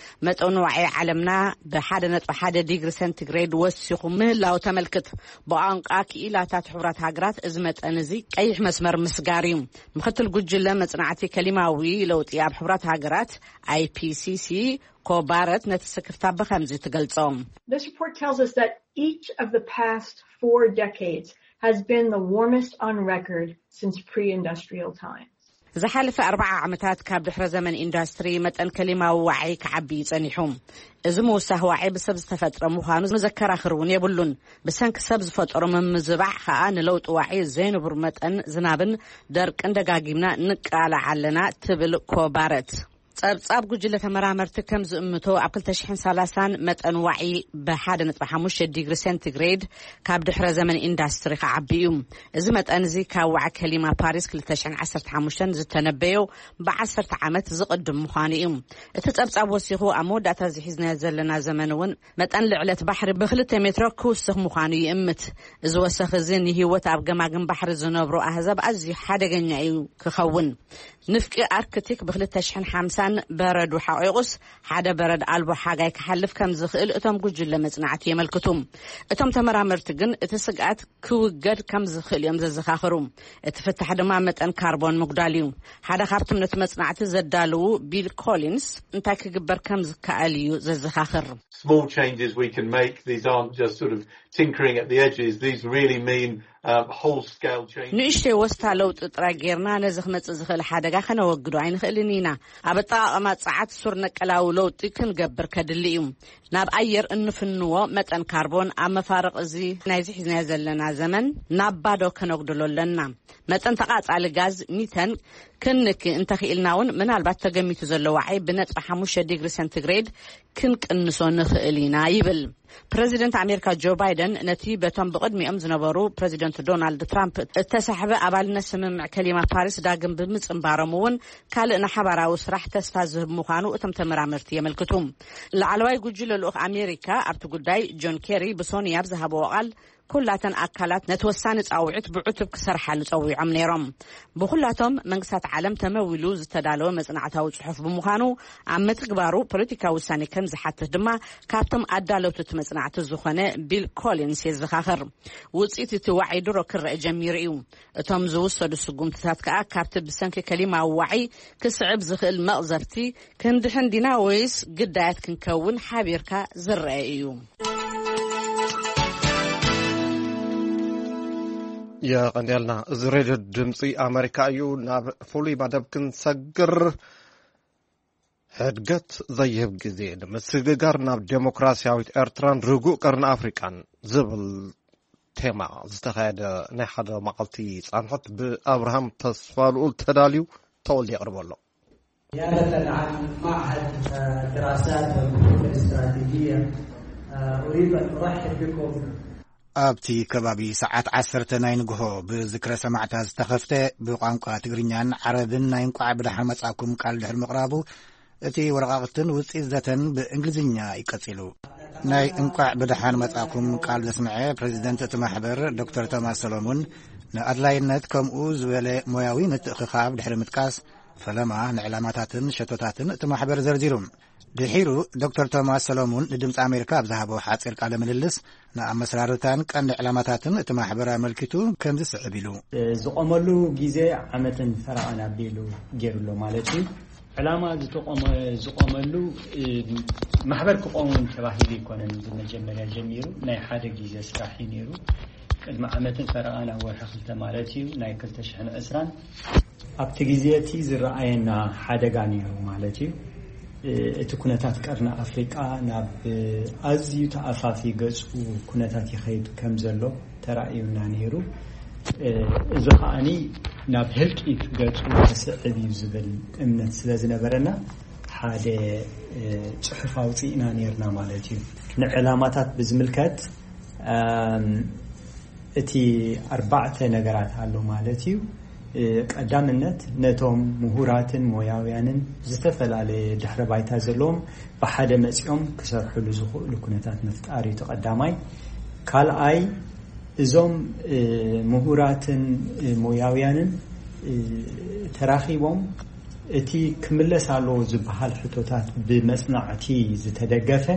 መጠን ዋዒ ዓለምና ብሓደ ነጥቢ ሓደ ዲግሪ ሴንቲግሬድ ወሲኹ ምህላው ተመልክት። ብቋንቋ ክኢላታት ሕቡራት ሃገራት እዚ መጠን እዚ ቀይሕ መስመር ምስጋር እዩ። ምክትል ጉጅለ መጽናዕቲ ከሊማዊ ለውጢ ኣብ ሕቡራት ሃገራት፣ ኣይፒሲሲ፣ ኮባረት ነቲ ስክፍታ ብኸምዚ ትገልጾ። This report tells us that each of the past four decades has been the warmest on record since pre-industrial times. ዝሓለፈ ኣርባዓ ዓመታት ካብ ድሕረ ዘመን ኢንዱስትሪ መጠን ከሊማዊ ዋዒ ክዓቢ እዩ ጸኒሑ። እዚ ምውሳኽ ዋዒ ብሰብ ዝተፈጥረ ምዃኑ መዘከራኽር እውን የብሉን። ብሰንኪ ሰብ ዝፈጠሮ ምምዝባዕ ኸኣ ንለውጢ ዋዒ ዘይንቡር መጠን ዝናብን ደርቅን ደጋጊምና ንቃላዕ ኣለና ትብል ኮባረት። ጸብጻብ ጉጅለ ተመራመርቲ ከም ዝእምቶ፣ ኣብ ክልተ ሽሕን ሰላሳን መጠን ዋዒ ብሓደ ነጥቢ ሓሙሽተ ዲግሪ ሴንቲግሬድ ካብ ድሕረ ዘመን ኢንዳስትሪ ክዓቢ እዩ። እዚ መጠን እዚ ካብ ዋዒ ከሊማ ፓሪስ ክልተ ሽሕን ዓሰርተ ሓሙሽተን ዝተነበዮ ብዓሰርተ ዓመት ዝቕድም ምዃኑ እዩ። እቲ ጸብጻብ ወሲኹ፣ ኣብ መወዳእታ እዚ ሒዝናዮ ዘለና ዘመን እውን መጠን ልዕለት ባሕሪ ብክልተ ሜትሮ ክውስኽ ምዃኑ ይእምት። እዚ ወሰኽ እዚ ንህይወት ኣብ ገማግም ባሕሪ ዝነብሩ ኣህዛብ ኣዝዩ ሓደገኛ እዩ ክኸውን። ንፍቂ ኣርክቲክ ብክልተ ሽሕን ሓምሳን በረዱ ሓቂቑስ፣ ሓደ በረድ ኣልቦ ሓጋይ ክሓልፍ ከም ዝኽእል እቶም ጉጅለ መጽናዕቲ የመልክቱ። እቶም ተመራመርቲ ግን እቲ ስግኣት ክውገድ ከም ዝኽእል እዮም ዘዘኻኽሩ። እቲ ፍታሕ ድማ መጠን ካርቦን ምጉዳል እዩ። ሓደ ካብቶም ነቲ መጽናዕቲ ዘዳለዉ ቢል ኮሊንስ እንታይ ክግበር ከም ዝከኣል እዩ ዘዘኻኽር። Small changes we can make, these aren't just sort of tinkering at the edges, these really mean um, whole scale changes. ንእሽተይ ወስታ ለውጢ ጥራይ ጌርና ነዚ ክመጽእ ዝኽእል ሓደጋ ከነወግዶ ኣይንኽእልን ኢና። ኣብ ኣጠቓቕማ ጸዓት ሱር ነቀላዊ ለውጢ ክንገብር ከድሊ እዩ። ናብ ኣየር እንፍንዎ መጠን ካርቦን ኣብ መፋርቕ እዚ ናይዚ ሒዝናዮ ዘለና ዘመን ናብ ባዶ ከነጉድሎ ኣለና። መጠን ተቓጻሊ ጋዝ ሚተን ክንክ እንተኽኢልና እውን፣ ምናልባት ተገሚቱ ዘሎ ዋዒ ብነጥቢ ሓሙሽተ ዲግሪ ሴንቲግሬድ ክንቅንሶ ንኽእል ኢና ይብል። ፕረዚደንት ኣሜሪካ ጆ ባይደን ነቲ በቶም ብቕድሚኦም ዝነበሩ ፕረዚደንት ዶናልድ ትራምፕ እተሳሕበ ኣባልነት ስምምዕ ከሊማ ፓሪስ ዳግም ብምጽንባሮም እውን፣ ካልእ ንሓባራዊ ስራሕ ተስፋ ዝህብ ምዃኑ እቶም ተመራመርቲ የመልክቱ። ላዕለዋይ ጉጅለ ልኡኽ ኣሜሪካ ኣብቲ ጉዳይ ጆን ኬሪ ብሶኒ ኣብ ዝሃብዎ ቃል፣ ኩላተን ኣካላት ነቲ ወሳኒ ጻውዒት ብዕቱብ ክሰርሓሉ ጸዊዖም ነይሮም። ብኹላቶም መንግስታት ዓለም ተመዊሉ ዝተዳለወ መጽናዕታዊ ጽሑፍ ብምዃኑ፣ ኣብ ምትግባሩ ፖለቲካዊ ውሳኔ ከም ዝሓትት ድማ ካብቶም ኣዳለውቲ እቲ መጽናዕቲ ዝኾነ ቢል ኮሊንስ የዘኻኽር። ውጽኢት እቲ ዋዒ ድሮ ክረአ ጀሚሩ እዩ። እቶም ዝውሰዱ ስጉምትታት ከኣ ካብቲ ብሰንኪ ከሊማዊ ዋዒ ክስዕብ ዝኽእል መቕዘፍቲ ክንድሕን ዲና ወይስ ግዳያት ክንከውን ሓቢርካ ዝረአ እዩ። የቐንየልና። እዚ ሬድዮ ድምፂ ኣሜሪካ እዩ። ናብ ፍሉይ መደብ ክንሰግር፣ ሕድገት ዘይህብ ግዜ ንምስግጋር ናብ ዴሞክራሲያዊት ኤርትራን ርጉእ ቀርኒ ኣፍሪቃን ዝብል ቴማ ዝተኻየደ ናይ ሓደ መዓልቲ ጻንሖት ብኣብርሃም ተስፋ ልኡል ተዳልዩ፣ ተወልደ የቕርቦ ኣሎ። زيارة عن معهد الدراسات والبحوث الاستراتيجية. أريد أن أرحب بكم. ኣብቲ ከባቢ ሰዓት ዓሰርተ ናይ ንግሆ ብዝክረ ሰማዕታት ዝተኸፍተ ብቋንቋ ትግርኛን ዓረብን ናይ እንቋዕ ብደሓን መጻእኩም ቃል ድሕሪ ምቕራቡ፣ እቲ ወረቓቕትን ውጽኢት ዘተን ብእንግሊዝኛ እዩ ቀጺሉ። ናይ እንቋዕ ብደሓን መጻእኩም ቃል ዘስምዐ ፕረዚደንት እቲ ማሕበር ዶክተር ቶማስ ሰሎሙን፣ ንኣድላይነት ከምኡ ዝበለ ሞያዊ ምትእኽኻብ ድሕሪ ምጥቃስ፣ ፈለማ ንዕላማታትን ሸቶታትን እቲ ማሕበር ዘርዚሩ። ድሒሩ ዶክተር ቶማስ ሰሎሙን ንድምፂ ኣሜሪካ ኣብ ዝሃቦ ሓፂር ቃለ ምልልስ፣ ንኣመሰራርታን ቀንዲ ዕላማታትን እቲ ማሕበር ኣመልኪቱ ከምዚ ስዕብ ኢሉ። ዝቆመሉ ግዜ ዓመትን ፈረቓን ኣቢሉ ገይሩ ኣሎ ማለት እዩ። ዕላማ ዝተቆመ ዝቆመሉ ማሕበር ክቆም ተባሂሉ ኣይኮነን። ብመጀመርያ ጀሚሩ ናይ ሓደ ግዜ ስራሕ እዩ ነይሩ። ቅድሚ ዓመትን ፈረቓን ኣብ ወርሒ ክልተ ማለት እዩ፣ ናይ ክልተ ሽሕን ዕስራን ኣብቲ ግዜ እቲ ዝረኣየና ሓደጋ ነይሩ ማለት እዩ። እቲ ኩነታት ቀርኒ ኣፍሪቃ ናብ ኣዝዩ ተኣፋፊ ገጹ ኩነታት ይኸይድ ከም ዘሎ ተራእዩና ነይሩ። እዚ ከኣኒ ናብ ህልቂት ገጹ ክስዕብ እዩ ዝብል እምነት ስለ ዝነበረና ሓደ ጽሑፍ ኣውፂእና ነይርና ማለት እዩ። ንዕላማታት ብዝምልከት እቲ ኣርባዕተ ነገራት ኣሎ ማለት እዩ። ቀዳምነት ነቶም ምሁራትን ሞያውያንን ዝተፈላለየ ድሕረ ባይታ ዘለዎም ብሓደ መፂኦም ክሰርሕሉ ዝኽእሉ ኩነታት ምፍጣር እዩ እቲ ቀዳማይ። ካልኣይ እዞም ምሁራትን ሞያውያንን ተራኺቦም እቲ ክምለስ ኣለዎ ዝበሃል ሕቶታት ብመፅናዕቲ ዝተደገፈ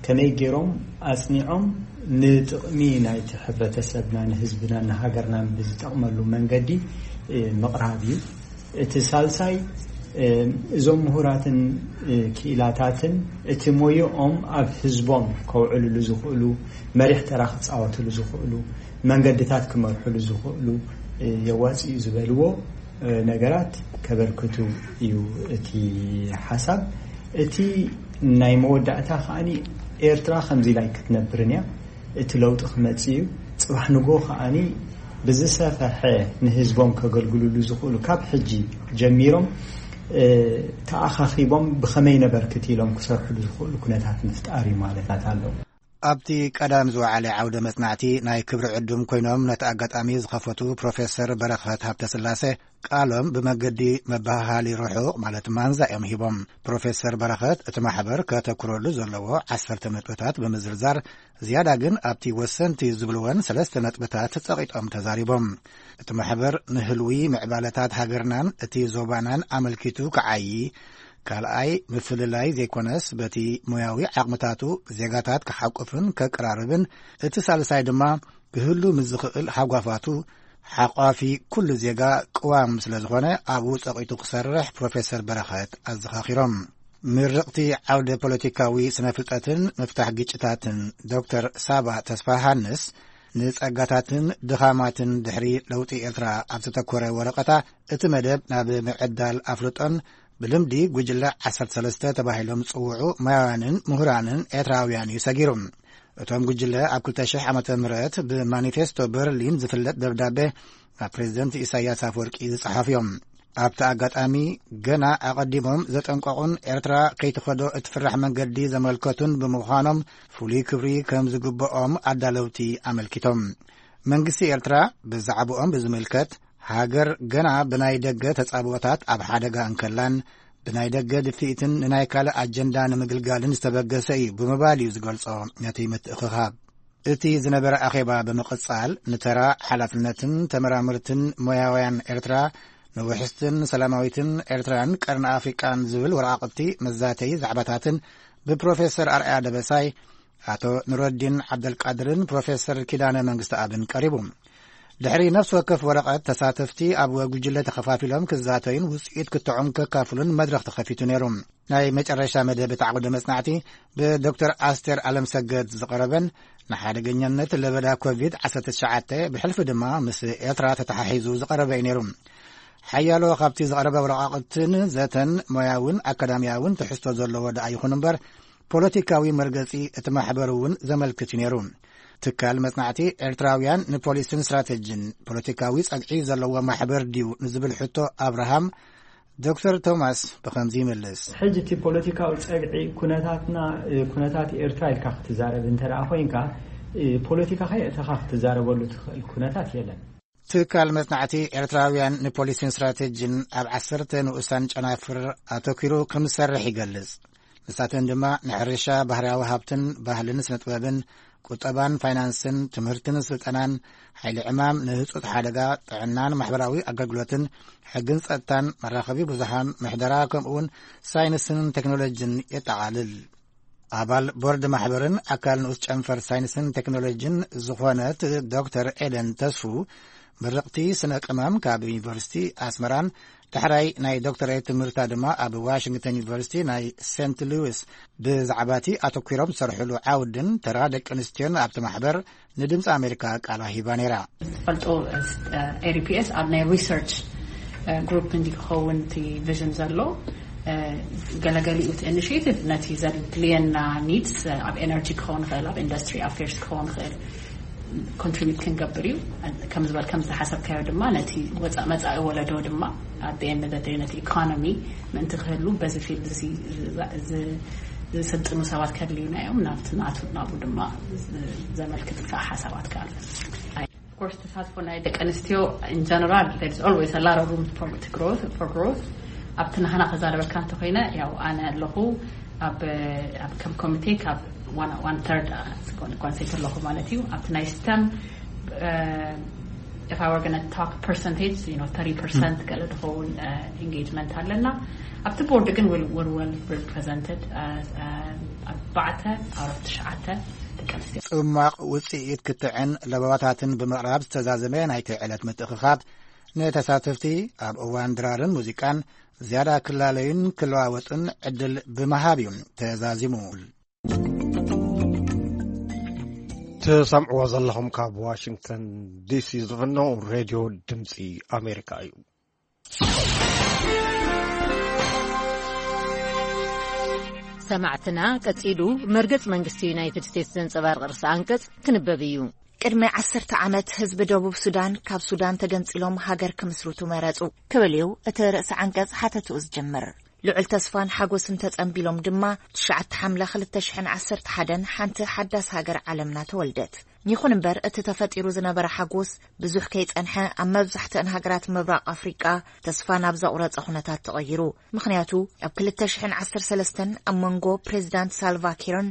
ከመይ ገይሮም ኣፅኒዖም ንጥቕሚ ናይቲ ሕብረተሰብና ንህዝብና ንሃገርናን ብዝጠቕመሉ መንገዲ ምቕራብ እዩ። እቲ ሳልሳይ እዞም ምሁራትን ክኢላታትን እቲ ሞይኦም ኣብ ህዝቦም ከውዕልሉ ዝኽእሉ፣ መሪሕ ተራ ክፃወትሉ ዝኽእሉ፣ መንገድታት ክመርሕሉ ዝኽእሉ የዋፅኡ ዝበልዎ ነገራት ከበርክቱ እዩ እቲ ሓሳብ። እቲ ናይ መወዳእታ ከዓኒ ኤርትራ ከምዚ ኢላይ ክትነብርን እያ። እቲ ለውጢ ክመጽእ እዩ። ጽባሕ ንጎ ከዓኒ ብዝሰፈሐ ንህዝቦም ከገልግሉሉ ዝኽእሉ ካብ ሕጂ ጀሚሮም ተኣኻኺቦም ብኸመይ ነበርክት ኢሎም ክሰርሕሉ ዝኽእሉ ኩነታት ምፍጣር እዩ ማለት ኣሎ። ኣብቲ ቀዳም ዝወዓለ ዓውደ መጽናዕቲ ናይ ክብሪ ዕዱም ኮይኖም ነቲ ኣጋጣሚ ዝኸፈቱ ፕሮፌሰር በረኸት ሃብተስላሴ ቃሎም ብመገዲ መበሃሃሊ ርሑቕ ማለት ማንዛ እዮም ሂቦም። ፕሮፌሰር በረኸት እቲ ማሕበር ከተኩረሉ ዘለዎ ዓሰርተ ነጥብታት ብምዝርዛር ዝያዳ ግን ኣብቲ ወሰንቲ ዝብልወን ሰለስተ ነጥብታት ጸቒጦም ተዛሪቦም። እቲ ማሕበር ንህልዊ ምዕባለታት ሃገርናን እቲ ዞባናን ኣመልኪቱ ክዓዪ፣ ካልኣይ ምፍልላይ ዘይኮነስ በቲ ሞያዊ ዓቕምታቱ ዜጋታት ክሓቁፍን ከቀራርብን፣ እቲ ሳልሳይ ድማ ክህሉ ምስ ዝኽእል ሃጓፋቱ ሓቋፊ ኩሉ ዜጋ ቅዋም ስለ ዝኾነ ኣብኡ ጸቒጡ ክሰርሕ ፕሮፌሰር በረኸት ኣዘኻኺሮም። ምርቕቲ ዓውደ ፖለቲካዊ ስነ ፍልጠትን ምፍታሕ ግጭታትን ዶክተር ሳባ ተስፋሃንስ ንጸጋታትን ድኻማትን ድሕሪ ለውጢ ኤርትራ ኣብ ዝተኮረ ወረቐታ እቲ መደብ ናብ ምዕዳል ኣፍልጦን ብልምዲ ጉጅለ ዓሰርተ ሰለስተ ተባሂሎም ዝጽውዑ ማያውያንን ምሁራንን ኤርትራውያን እዩ ሰጊሩ። እቶም ጉጅለ ኣብ ክልተ ሽሕ ዓመተ ምህረት ብማኒፌስቶ በርሊን ዝፍለጥ ደብዳቤ ናብ ፕሬዚደንት ኢሳያስ ኣፈወርቂ ዝጸሓፉ እዮም። ኣብቲ ኣጋጣሚ ገና ኣቐዲሞም ዘጠንቀቑን ኤርትራ ከይትኸዶ እትፍራሕ መንገዲ ዘመልከቱን ብምዃኖም ፍሉይ ክብሪ ከም ዝግብኦም ኣዳለውቲ ኣመልኪቶም። መንግስቲ ኤርትራ ብዛዕባኦም ብዝምልከት ሃገር ገና ብናይ ደገ ተጻብኦታት ኣብ ሓደጋ እንከላን ብናይ ደገ ድፍኢትን ንናይ ካልእ ኣጀንዳ ንምግልጋልን ዝተበገሰ እዩ ብምባል እዩ ዝገልጾ ነቲ ምትእኽኻብ። እቲ ዝነበረ ኣኼባ ብምቕጻል ንተራ ሓላፍነትን ተመራመርትን ሞያውያን ኤርትራ ንውሕስትን ሰላማዊትን ኤርትራን ቀርኒ ኣፍሪቃን ዝብል ወረቓቕቲ መዛተዪ ዛዕባታትን ብፕሮፌሰር ኣርኣያ ደበሳይ፣ ኣቶ ኑረዲን ዓብደልቃድርን ፕሮፌሰር ኪዳነ መንግስተኣብን ቀሪቡ። ድሕሪ ነፍሲ ወከፍ ወረቐት ተሳተፍቲ ኣብ ጉጅለ ተኸፋፊሎም ክዛተዩን ውጽኢት ክትዖም ከካፍሉን መድረኽ ተኸፊቱ ነይሩ። ናይ መጨረሻ መደብ እቲ ዓውደ መጽናዕቲ ብዶክተር ኣስቴር ኣለምሰገድ ዝቐረበን ንሓደገኛነት ለበዳ ኮቪድ ዓሰርተ ትሽዓተ ብሕልፊ ድማ ምስ ኤርትራ ተተሓሒዙ ዝቐረበ እዩ ነይሩ። ሓያሎ ካብቲ ዝቐረበ ወረቓቕትን ዘተን ሞያውን ኣካዳሚያውን ትሕዝቶ ዘለዎ ደኣ ይኹን እምበር ፖለቲካዊ መርገጺ እቲ ማሕበር እውን ዘመልክት እዩ ነይሩ። ትካል መጽናዕቲ ኤርትራውያን ንፖሊስን ስትራተጂን ፖለቲካዊ ጸግዒ ዘለዎ ማሕበር ድዩ ንዝብል ሕቶ ኣብርሃም ዶክተር ቶማስ ብኸምዚ ይምልስ። ሕጂ እቲ ፖለቲካዊ ጸግዒ ኩነታትና ኩነታት ኤርትራ ኢልካ ክትዛረብ እንተ ደኣ ኮይንካ ፖለቲካ ከየእተኻ ክትዛረበሉ ትኽእል ኩነታት የለን። ትካል መጽናዕቲ ኤርትራውያን ንፖሊሲን ስትራተጂን ኣብ ዓሰርተ ንኡሳን ጨናፍር ኣተኪሩ ከም ዝሰርሕ ይገልጽ። ንሳተን ድማ ንሕርሻ፣ ባህርያዊ ሃብትን ባህልን ስነ ጥበብን፣ ቁጠባን ፋይናንስን፣ ትምህርትን ስልጠናን፣ ሓይሊ ዕማም፣ ንህጹጽ ሓደጋ፣ ጥዕናን ማሕበራዊ ኣገልግሎትን፣ ሕግን ጸጥታን፣ መራኸቢ ብዙሓን፣ ምሕደራ፣ ከምኡውን ሳይንስን ቴክኖሎጂን የጠቓልል። ኣባል ቦርድ ማሕበርን ኣካል ንኡስ ጨንፈር ሳይንስን ቴክኖሎጂን ዝኾነት ዶክተር ኤደን ተስፉ፣ ምርቕቲ ስነ ቅመም ካብ ዩኒቨርሲቲ ኣስመራን ዳሕራይ ናይ ዶክተሬት ትምህርታ ድማ ኣብ ዋሽንግተን ዩኒቨርሲቲ ናይ ሴንት ሉዊስ ብዛዕባ እቲ ኣተኲሮም ዝሰርሕሉ ዓውድን ተራ ደቂ ኣንስትዮን ኣብቲ ማሕበር ንድምፂ ኣሜሪካ ቃል ሂባ ነይራ። ፈልጦ ኤሪፒኤስ ኣብ ናይ ሪሰርች ግሩፕ እንዲ ክኸውን እቲ ቪዥን ዘሎ፣ ገለገሊኡ እቲ ኢኒሽቲቭ ነቲ ዘድልየና ኒድስ ኣብ ኤነርጂ ክኸውን ይኽእል፣ ኣብ ኢንዱስትሪ ኣፌርስ ክኸውን ይኽእል፣ ኮንትሪቢዩት ክንገብር እዩ። ከም ዝበል ከም ዝሓሰብካዮ ድማ ነቲ ወፃ- መፃኢ ወለዶ ድማ ኣብ ኤንድ ነቲ ኢኮኖሚ ምእንቲ ክህሉ በዚ ፊልድ እዚ ዝ- ዝ- ዝስልጥኑ ሰባት ከድልዩና እዮም። ናብቲ ናቱ ናብኡ ድማ ዝ- ዘመልክት ከዓ ሓሳባት ከኣሉ። Of course ተሳትፎ ናይ ደቂ ኣንስትዮ in general there is always a lot of room for to growth for growth። ኣብቲ ናህና ከዛረበካ እንተኮይነ ያው ኣነ ኣለኹ ኣብ ኣብ ከም ኮሚቴ ካብ one one third ኮንሴት ኣለኹ ማለት እዩ። ኣብቲ ናይ ስተም if I were going to talk percentage you know thirty percent ገለ ዝኸውን engagement ኣለና። ኣብቲ ቦርድ ግን we're well represented ኣርባዕተ out of ትሽዓተ ደቂ ኣንስትዮ። ጽማቕ ውጽኢት ክትዕን ለበዋታትን ብምቕራብ ዝተዛዘመ ናይቲ ዕለት ምትእኽኻብ ንተሳተፍቲ ኣብ እዋን ድራርን ሙዚቃን ዝያዳ ክላለዩን ክለዋወጡን ዕድል ብምሃብ እዩ ተዛዚሙ። ትሰምዕዎ ዘለኹም ካብ ዋሽንግተን ዲሲ ዝፍኖ ሬድዮ ድምፂ ኣሜሪካ እዩ። ሰማዕትና ቀጺሉ መርገጽ መንግስቲ ዩናይትድ ስቴትስ ዘንጸባርቕ ርእሰ ኣንቀጽ ክንበብ እዩ። ቅድሚ ዓሰርተ ዓመት ህዝቢ ደቡብ ሱዳን ካብ ሱዳን ተገንጺሎም ሃገር ክምስርቱ መረጹ ክብል እዩ እቲ ርእሰ ዓንቀጽ ሓተትኡ ዝጅምር። ልዑል ተስፋን ሓጎስን ተጸንቢሎም ድማ ትሽዓተ ሓምለ ክልተ ሽሕን ዓሰርተ ሓደን ሓንቲ ሓዳስ ሃገር ዓለምና ተወልደት። ይኹን እምበር እቲ ተፈጢሩ ዝነበረ ሓጎስ ብዙሕ ከይጸንሐ ኣብ መብዛሕትአን ሃገራት ምብራቕ ኣፍሪቃ ተስፋ ናብ ዘቑረጸ ኩነታት ተቐይሩ። ምኽንያቱ ኣብ ክልተ ሽሕን ዓሰርተ ሰለስተን ኣብ መንጎ ፕሬዚዳንት ሳልቫ ኪርን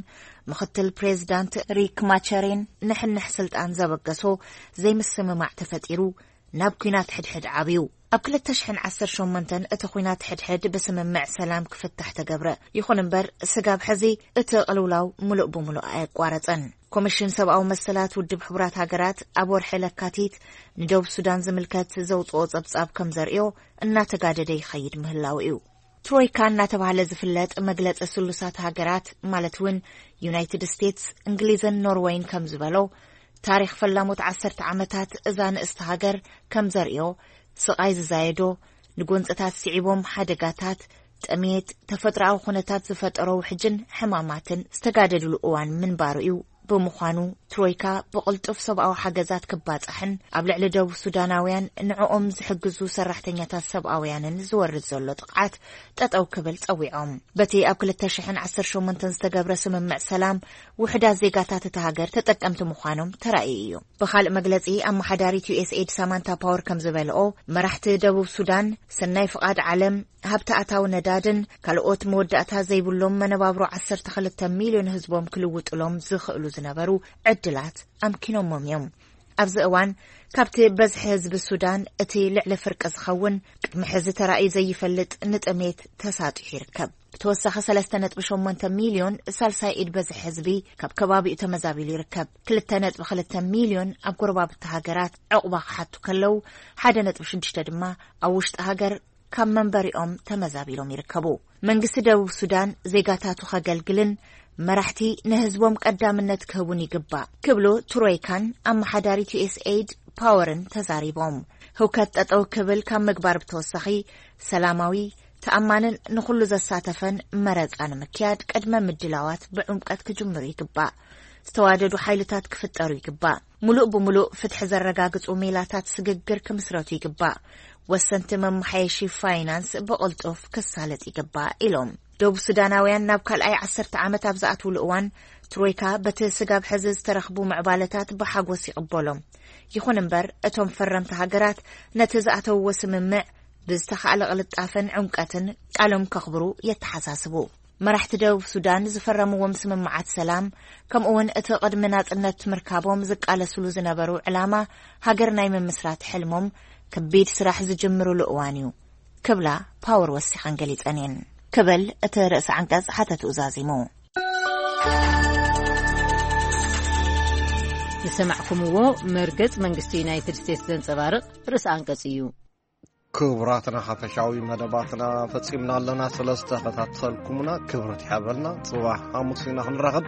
ምኽትል ፕሬዚዳንት ሪክ ማቸሬን ንሕንሕ ስልጣን ዘበገሶ ዘይምስምማዕ ተፈጢሩ ናብ ኲናት ሕድሕድ ዓብዩ። ኣብ ክልተ ሽሕን ዓሰርተ ሸሞንተን እቲ ኲናት ሕድሕድ ብስምምዕ ሰላም ክፍታሕ ተገብረ። ይኹን እምበር ስጋብ ሕዚ እቲ ቅልውላው ምሉእ ብምሉእ ኣየቋረጸን። ኮሚሽን ሰብኣዊ መሰላት ውድብ ሕቡራት ሃገራት ኣብ ወርሒ ለካቲት ንደቡብ ሱዳን ዝምልከት ዘውፅኦ ጸብጻብ ከም ዘርእዮ እናተጋደደ ይኸይድ ምህላው እዩ። ትሮይካ እናተባህለ ዝፍለጥ መግለፂ ስሉሳት ሃገራት ማለት እውን ዩናይትድ ስቴትስ፣ እንግሊዝን ኖርወይን ከም ዝበሎ ታሪክ ፈላሞት ዓሰርተ ዓመታት እዛ ንእስቲ ሃገር ከም ዘርእዮ ስቓይ ዝዛየዶ ንጎንፅታት ስዒቦም ሓደጋታት፣ ጥሜት፣ ተፈጥሮኣዊ ኩነታት ዝፈጠሮ ውሕጅን ሕማማትን ዝተጋደድሉ እዋን ምንባሩ እዩ። ብምዃኑ ትሮይካ ብቕልጡፍ ሰብኣዊ ሓገዛት ክባፃሕን ኣብ ልዕሊ ደቡብ ሱዳናውያን ንዕኦም ዝሕግዙ ሰራሕተኛታት ሰብኣውያንን ዝወርድ ዘሎ ጥቕዓት ጠጠው ክብል ፀዊዖም። በቲ ኣብ ክልተ ሽሕን ዓሰርተ ሸሞንተን ዝተገብረ ስምምዕ ሰላም ውሕዳት ዜጋታት እታ ሃገር ተጠቀምቲ ምዃኖም ተራእዩ እዩ። ብኻልእ መግለፂ ኣመሓዳሪት ዩኤስኤድ ሳማንታ ፓወር ከም ዝበልኦ መራሕቲ ደቡብ ሱዳን ሰናይ ፍቓድ ዓለም ሃብቲ ኣታዊ ነዳድን ካልኦት መወዳእታ ዘይብሎም መነባብሮ ዓሰርተ ክልተ ሚልዮን ህዝቦም ክልውጥሎም ዝኽእሉ ዝነበሩ ዕድላት ኣምኪኖሞም እዮም። ኣብዚ እዋን ካብቲ በዝሒ ህዝቢ ሱዳን እቲ ልዕሊ ፍርቂ ዝኸውን ቅድሚ ሕዚ ተራእዩ ዘይፈልጥ ንጥሜት ተሳጢሑ ይርከብ። ብተወሳኺ ሰለስተ ነጥቢ ሸሞንተ ሚልዮን ሳልሳይ ኢድ በዝሒ ህዝቢ ካብ ከባቢኡ ተመዛቢሉ ይርከብ። ክልተ ነጥቢ ክልተ ሚልዮን ኣብ ጎረባብቲ ሃገራት ዕቑባ ክሓቱ ከለዉ ሓደ ነጥቢ ሽዱሽተ ድማ ኣብ ውሽጢ ሃገር ካብ መንበሪኦም ተመዛቢሎም ይርከቡ። መንግስቲ ደቡብ ሱዳን ዜጋታቱ ከገልግልን መራሕቲ ንህዝቦም ቀዳምነት ክህቡን ይግባእ ክብሉ ትሮይካን ኣመሓዳሪት ዩኤስኤይድ ፓወርን ተዛሪቦም። ህውከት ጠጠው ክብል ካብ ምግባር ብተወሳኺ ሰላማዊ፣ ተኣማንን ንኹሉ ዘሳተፈን መረጻ ንምክያድ ቅድመ ምድላዋት ብዕምቀት ክጅምሩ ይግባእ። ዝተዋደዱ ሓይልታት ክፍጠሩ ይግባእ። ሙሉእ ብሙሉእ ፍትሒ ዘረጋግጹ ሜላታት ስግግር ክምስረቱ ይግባእ። ወሰንቲ መመሓየሺ ፋይናንስ ብቕልጡፍ ክሳለጥ ይግባእ ኢሎም። ደቡብ ሱዳናውያን ናብ ካልኣይ ዓሰርተ ዓመት ኣብ ዝኣትውሉ እዋን ትሮይካ በቲ ስጋብ ሕዚ ዝተረኽቡ ምዕባለታት ብሓጎስ ይቕበሎም። ይኹን እምበር እቶም ፈረምቲ ሃገራት ነቲ ዝኣተውዎ ስምምዕ ብዝተኻእለ ቅልጣፈን ዕምቀትን ቃሎም ከኽብሩ የተሓሳስቡ። መራሕቲ ደቡብ ሱዳን ዝፈረምዎም ስምምዓት ሰላም ከምኡውን እቲ ቅድሚ ናጽነት ምርካቦም ዝቃለስሉ ዝነበሩ ዕላማ ሃገር ናይ ምምስራት ሕልሞም ከቢድ ስራሕ ዝጅምርሉ እዋን እዩ ክብላ ፓወር ወሲኸን ገሊጸን እየን ክብል እቲ ርእሲ ዓንቀጽ ሓተትኡ ዛዚሙ። ዝሰማዕኩምዎ መርገጽ መንግስቲ ዩናይትድ ስቴትስ ዘንጸባርቕ ርእሲ ኣንቀጽ እዩ። ክቡራትና ሓፈሻዊ መደባትና ፈጺምና ኣለና። ስለ ዝተኸታተልኩምና ክብረት ይሓበልና። ጽባሕ ሓሙስ ኢና ክንራኸብ።